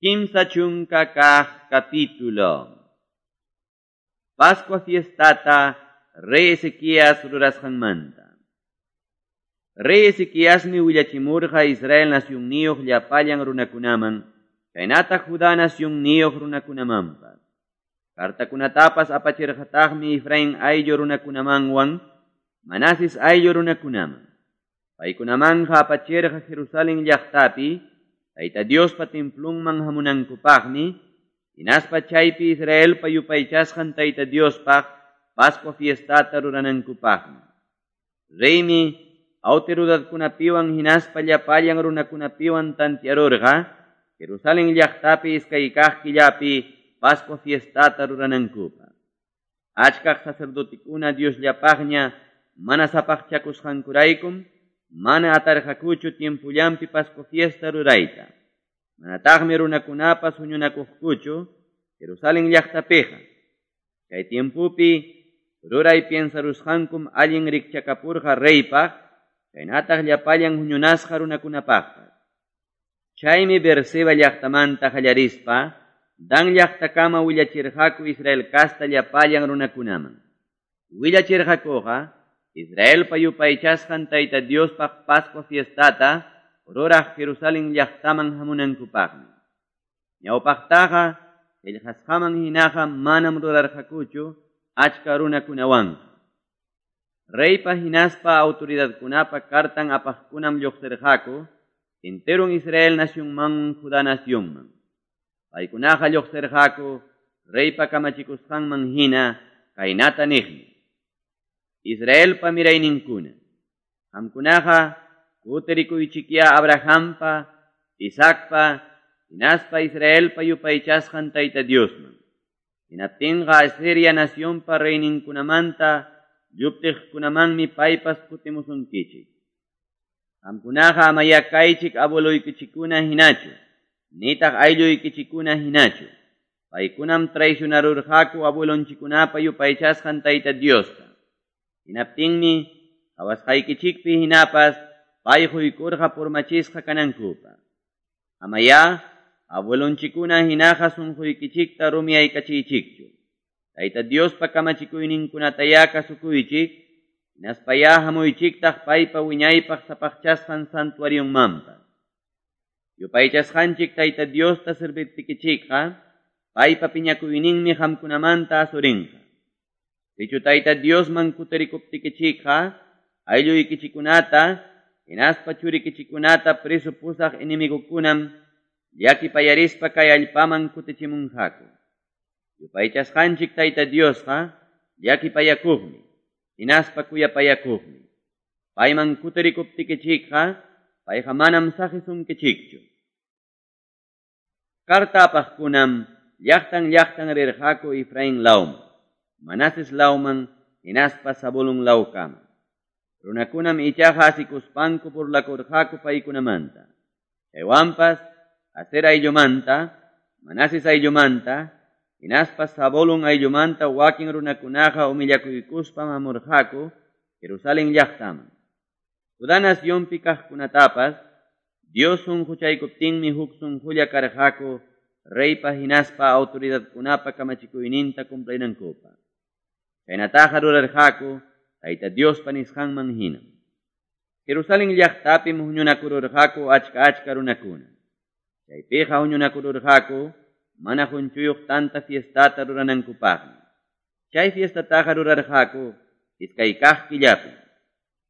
30 capítulo. Pascua fiestata Rey Ezequías rurasqanmanta. Rey Ezequiasmi willachimurqa Israel nacionniyuq llapallan runakunaman, chaynataq Judá nacionniyuq runakunamanpas. Cartakunatapas apachirqataqmi Efraín ayllu runakunamanwan, Manases ayllu runakunaman. Paykunamanja apachirqa Jerusalén llaqtapi, Tayta Diospa templunman hamunankupaqmi, hinaspa chaypi Israelpa yupaychasqan Tayta Diospaq Pascua fiestata ruranankupaqmi. Reymi autoridadkunapiwan hinaspa llapallan runakunapiwan tantiarurqa, Jerusalén llaqtapi iskay kaq killapi Pascua fiestata ruranankupaq. Achkaq sacerdotikuna Diosllapaqña mana sapaqchakusqankuraykum, mana atarqakuchu tiempullanpi Pascua fiesta rurayta. Manataqmi runakunapas huñunakuqkuchu Jerusalén llaqtapiqa. Chay tiempupi ruray piensarusqankum allin rikchakapurqa reypaq, chaynataq llapallan huñunasqa runakunapaqpas. Chaymi Beerseba llaqtamanta qallarispa, Dan llaqtakama willachirqaku Israel kasta llapallan runakunaman. Willachirqakuqa Israelpa yupaychasqan Tayta Diospaq Pascua fiestata ruraq Jerusalén llaqtaman hamunankupaqmi. Ñawpaqtaqa qillqasqaman hinaqa manam rurarqakuchu achka runakunawanqa. Reypa hinaspa autoridadkunapa kartan apaqkunam lluqsirqaku enteron Israel nacionman Judá nacionman. Paykunaqa lluqsirqaku reypa kamachikusqanman hina kaynata niqmi: Israelpa mirayninkuna, qamkunaqa kutirikuychikya Abrahampa, Isaacpa, hinaspa Israelpa yupaychasqan Tayta Diosman. Hinaptinqa Asiria nacionpa reyninkunamanta lluptiqkunamanmi paypas kutimusunkichik. Qamkunaqa amaya kaychik abueloykichikuna hinachu, nitaq aylluykichikuna hinachu. Paykunam traicionarurqaku abuelonchikunapa yupaychasqan Tayta Diosta. Hinaptinmi qhawasqaykichikpi hinapas pay quykurqa purmachisqa kanankupaq. Amaya abuelonchikuna hinaqa sunquykichikta rumiyaykachiychikchu. Tayta Diospa kamachikuyninkunataya kasukuychik, hinaspaya hamuychiktaq paypa wiñaypaq sapaqchasqan santuarionmanpas. Yupaychasqanchik Tayta Diosta serviptikichikqa, paypa piñakuyninmi qamkunamanta asurinqa. Sichu Tayta Diosman kutirikuptikichikqa, aylluykichikunata, hinaspa churikichikunata preso pusaq enemigukunam llakipayarispa kay allpaman kutichimunqaku. Yupaychasqanchik Tayta Diosqa llakipayakuqmi, hinaspa kuyapayakuqmi. Payman kutirikuptikichikqa, payqa manam saqisunkichikchu. Karta apaqkunam llaqtan llaqtan rirqaku Efraín lawman, Manases lawman, hinaspa Zabulón lawkama. Runakunam ichaqa asikuspanku burlakurqaku paykunamanta. Chaywanpas Aser ayllumanta, Manases ayllumanta, hinaspa Zabulón ayllumanta wakin runakunaqa humillakuykuspa hamurqaku Jerusalén llaqtaman. Judá nacionpi kaqkunatapas Dios sunquchaykuptinmi huk sunqulla karqaku reypa hinaspa autoridadkunapa kamachikuyninta cumplinankupaq. Chaynataqa rurarqaku Tayta Diospa nisqanman hina. Jerusalén llaqtapim huñunakururqaku achka achka runakuna. Chaypiqa huñunakururqaku mana qunchuyuq tanta fiestata ruranankupaqmi. Chay fiestataqa rurarqaku iskay kaq killapi.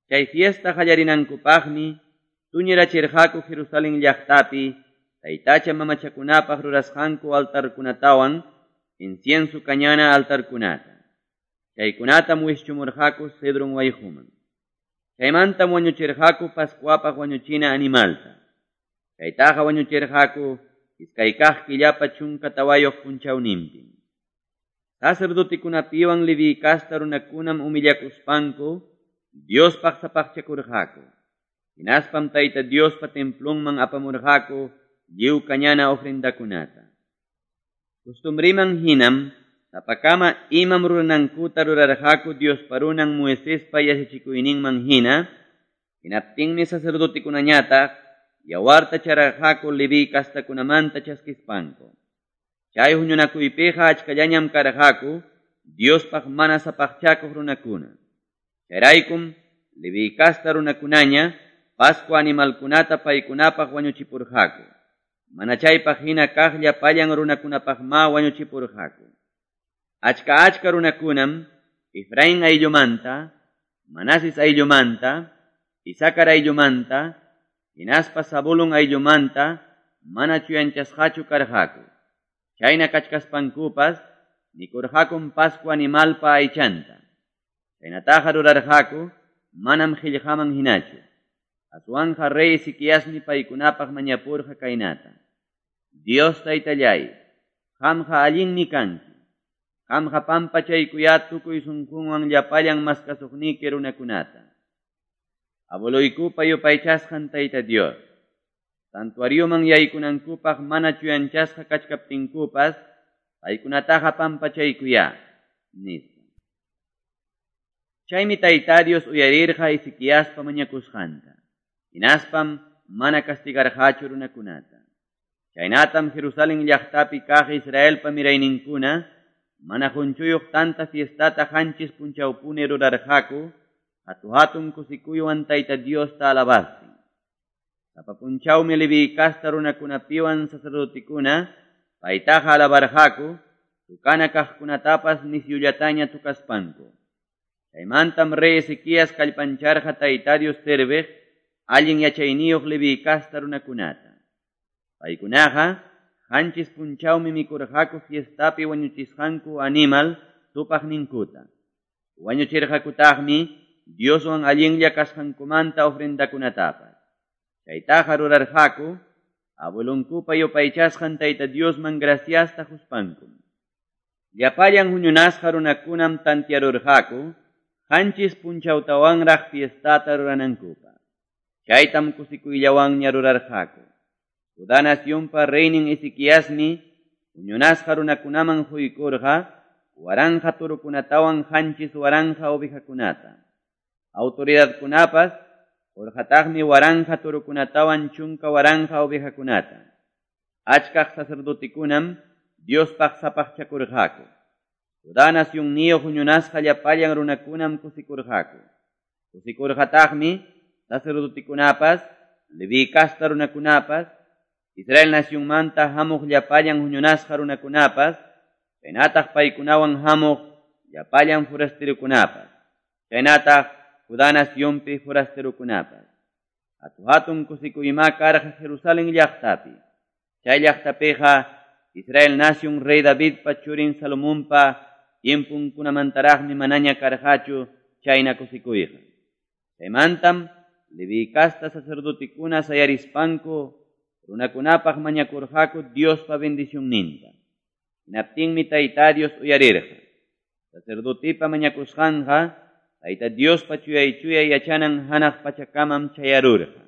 Chay fiesta qallarinankupaqmi tuñirachirqaku Jerusalén llaqtapi taytacha mamachakunapaq rurasqanku altarkunatawan incienso kañana altarkunata. Chaykunatam wischumurqaku Cedron wayquman. Chaymantam wañuchirqaku Pascuapaq wañuchina animalta. Chaytaqa wañuchirqaku iskay kaq killapa 14 punchawninpi. Sacerdotikunapiwan Leví kasta runakunam humillakuspanku Diospaq sapaqchakurqaku. Hinaspam Tayta Diospa templunman apamurqaku lliw kañana ofrendakunata. Costumbriman hinam sapakama imam ruranankuta rurarqaku Diospa runan Moisespa yachachikuyninman hina, hinaptinmi sacerdotikunañataq yawarta chararqaku Leviy castakunamanta chaskispanku. Chay huñunakuypiqa achkallañam karqaku Diospaq mana sapaqchakuq runakuna. Chayraykum Leviy casta runakunaña Pascua animalkunata paykunapaq wañuchipurqaku. Mana chaypaq hina kaq llapallan runakunapaqma wañuchipurqaku. Achka achka runakunam Efraín ayllumanta, Manases ayllumanta, Isacar ayllumanta, hinaspa Zabulón ayllumanta mana chuyanchasqachu karqaku. Chayna kachkaspankupas mikurqakum Pascua animalpa aychanta. Chaynataqa rurarqaku manam qillqaman hinachu. Aswanqa rey Ezequiasmi paykunapaq mañapurqa kaynata. Dios taytallay, qamqa allinmi kanki. Qamqa pampachaykuyá tukuy sunqunwan llapallan maskasuqniki runakunata. Abueloykupa yupaychasqan Tayta Dios. Santuarioman yaykunankupaq mana chuyanchasqa kachkaptinkupas, paykunataqa pampachaykuyá, nispa. Chaymi Tayta Dios uyarirqa Ezequiaspa mañakusqanta. Hinaspam mana castigarqachu runakunata. Chaynatam Jerusalén llaqtapi kaq Israelpa mirayninkuna mana qunchuyuq tanta fiestata qanchis punchawpuni rurarqaku, hatu hatun kusikuywan Tayta Diosta alabastin. Sapa punchawmi Leviy casta runakunapiwan sacerdotikuna paytaqa alabarqaku, tukana kaqkunatapas nisyullataña tukaspanku. Chaymantam rey Ezequías kallpancharqa Tayta Dios serviq allin yachayniyuq Leviy casta runakunata. Paykunaqa qanchis punchawmi mikurqaku fiestapi wañuchisqanku animal tupaqninkuta. Wañuchirqakutaqmi Dioswan allinlla kasqankumanta ofrendakunatapas. Chaytaqa rurarqaku abuelonkupa yupaychasqan Tayta Diosman graciasta quspankum. Llapallan huñunasqa runakunam tantiarurqaku qanchis punchawtawanraq fiestata ruranankupaq. Chaytam kusikuyllawanña rurarqaku. Judá nacionpa reynin Ezequiasmi huñunasqa runakunaman quykurqa waranqa turukunatawan qanchis waranqa ovejakunata. Autoridadkunapas qurqataqmi waranqa turukunatawan chunka waranqa ovejakunata. Achkaq sacerdotekunam Diospaq sapaqchakurqaku. Judá nacionniyuq huñunasqa llapallan runakunam kusikurqaku. Kusikurqataqmi sacerdotekunapas, Leví casta runakunapas, Israel nacionmanta hamuq llapallan huñunasqa runakunapas, chaynataq paykunawan hamuq llapallan forasterokunapas, chaynataq Judá nacionpi forasterokunapas. Hatu hatun kusikuymá karqa Jerusalén llaqtapi. Chay llaqtapiqa Israel nación rey Davidpa churin Salomonpa tiempunkunamantaraqmi manaña karqachu chayna kusikuyqa. Chaymantam Leví casta sacerdotekuna sayarispanku runakunapaq mañakurqaku Diospa bendicionninta. Hinaptinmi Tayta Dios uyarirqa. Sacerdotepa mañakusqanqa Tayta Diospa chuyay chuyay yachanan hanaq pachakamam chayarurqa.